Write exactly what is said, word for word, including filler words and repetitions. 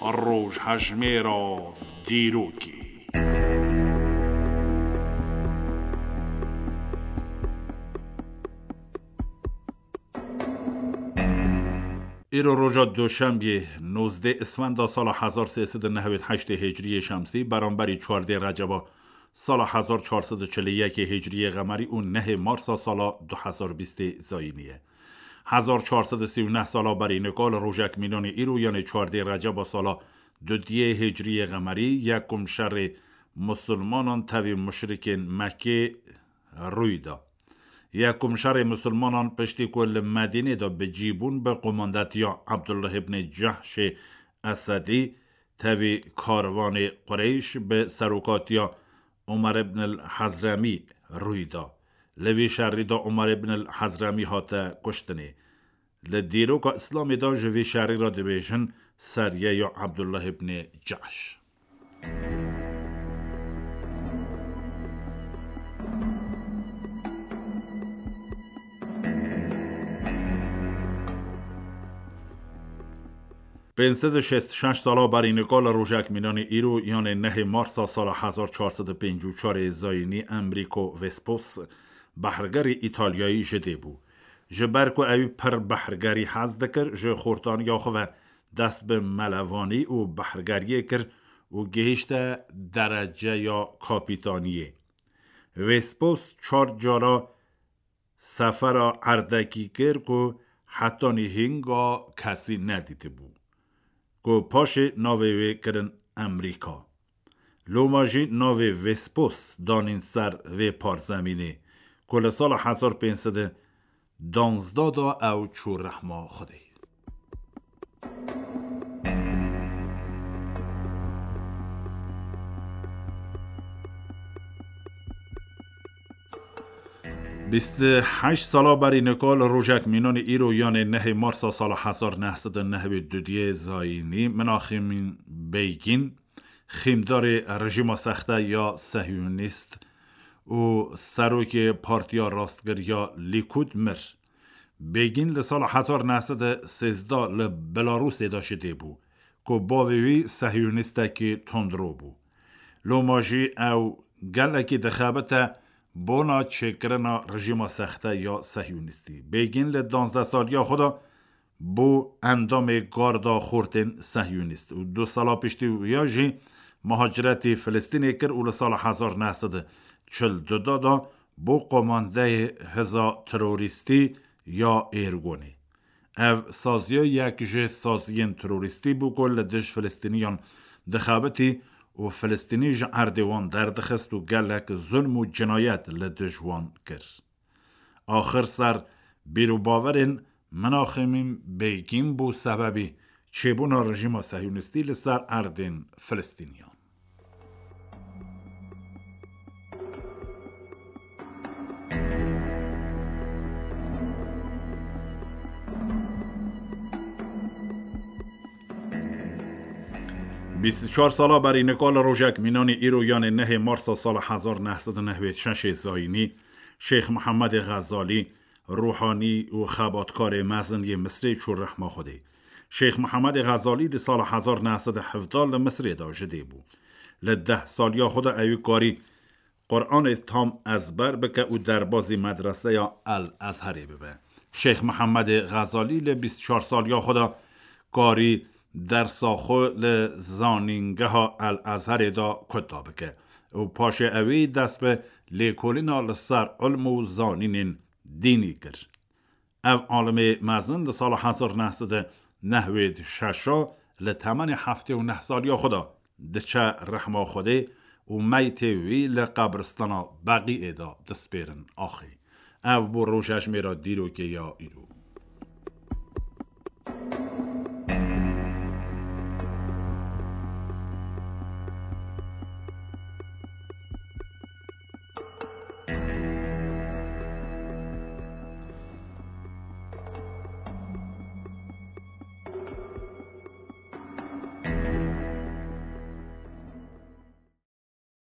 Rojhejmêra dîrokê. Îro roja Duşembiyê, nozdeh Isfenda sala hezar sê sed û nehwêd heştê Hicriyê Şemsî, beramberî çardeh Receba sala hezar çar sed û çil û yekê Hicriyê Qemerî û nehê Marsa sala du hezar bîstê Zayînî ye. Hezar çar sed û sî û neh sala berî nika li rojek mînanê îro, yanê çardeh Receba sala dudiyê Hicriyê Qemerî, yekum şerê musulmanan tevî muşrikên Mekkê rûy da. Yekum şerê musulmanan piştî ku li Medînê de bi cî bûn, bi qomandetiya Abdullah ibnê Cehşê Esedî tevî karvanê Qureyş bi serokatiya Umar ibn el-Hezremî rûy da. Li vî şerî de Umar ibn el-Hezremî hate kuştinê. Li dîroka Îslamê de ji vî şerî re dibêjin seriyeya Abdullah ibnê Cehş. Pênc sed û şêst û şeş sala berî nika li rojek mînanê îro, yanê nehê Marsa sala hezar çar sed û pêncî û çarê Zayînî, Enrico Vespucci, behrgerî Îtalyayî ji dê bû. Ji ber ku ewî pir behrgerî hez dikir, ji xortaniya xwe ve dest bi melevanî û behrgeriyê kir û gihişte dereceya kapîtaniyê. Vespucci çar cara sefera erdekî kir ku hetanî hînga kesî nedîtibû, ku paşê navê wê kirin Emrîka. Loma jî navê Vespucci danîn ser vê parzemînê, ku li sala hezar pênc sed û danzdeh de ew çû rehma Xwedê. Bîst û heşt sala berî nika li rojek mînanê îro, yanê nehê Marsa sala hezar neh sed û nehwêd û duyê Zayînî, Minaxîmîn Beygîn, xîmdarê rejîma sexte ya Sehyonîst û serokê Partiya Rastgir ya Lîkûd mir. Begîn li sala hezar neh sed û sêzdeh li Belarusê de ji dê bû, ku bavê wî sehyonîstekî tundro bû. Loma jî ew gelekî dixebite bona çêkirina rejîma sexte ya sehyonîstî. Begîn li danzdeh saliya xwe de bû endamê garda xortên sehyonîst û du sala piştî wiya jî muhaciretî Filistînê kir û li sala hezar neh sed û çil du de bû komandeyê hêza terorîstî ya Êrgonê. Ev saziya yek ji saziyên terorîstî bû ku li dij Filistîniyan dixebitî û Filistînî ji erdê wan derdixist û gelek zulm û cinayet li dij wan kir. Axir ser bîrûbawerên Minaxîmîn Begîn bû sebebî çêbûna rejîma sehyonîstî li ser erdên Filistîniyan. Bîst û çar sala berî nika li rojek mînanî îro, yanê nehê Marsa sala hezar neh sed û nehwêd şeşê Zayînî, Şêx Mihemedê Xezalî, ruhanî û xebatkarê mezin yê Misrê çû rehma Xwedê. Şêx Mihemedê Xezalî di sala hezar neh sed û hevdeh li Misrê de ji dê bû. Li deh saliya xwe de ewî karî Quranê tam ezber bike û derbazî medreseya El Ezherê bibe. Şêx Mihemedê Xezalî li bîst û çar saliya xwe de karî dersa xwe li zanîngeha El Ezherê de kuta bike û paşê ewî dest bi lêkolîna li ser ilm û zanînên dînî kir. Ev alimê mezin di sala hezar neh sed û nehwêd şeş a li temenê heftê û neh saliya xwe de diçe rehma Xwedê û meytê wî li qebristana Beqîê de dispêrin axê. Ev bû rojejmêra dîrokê ya îro.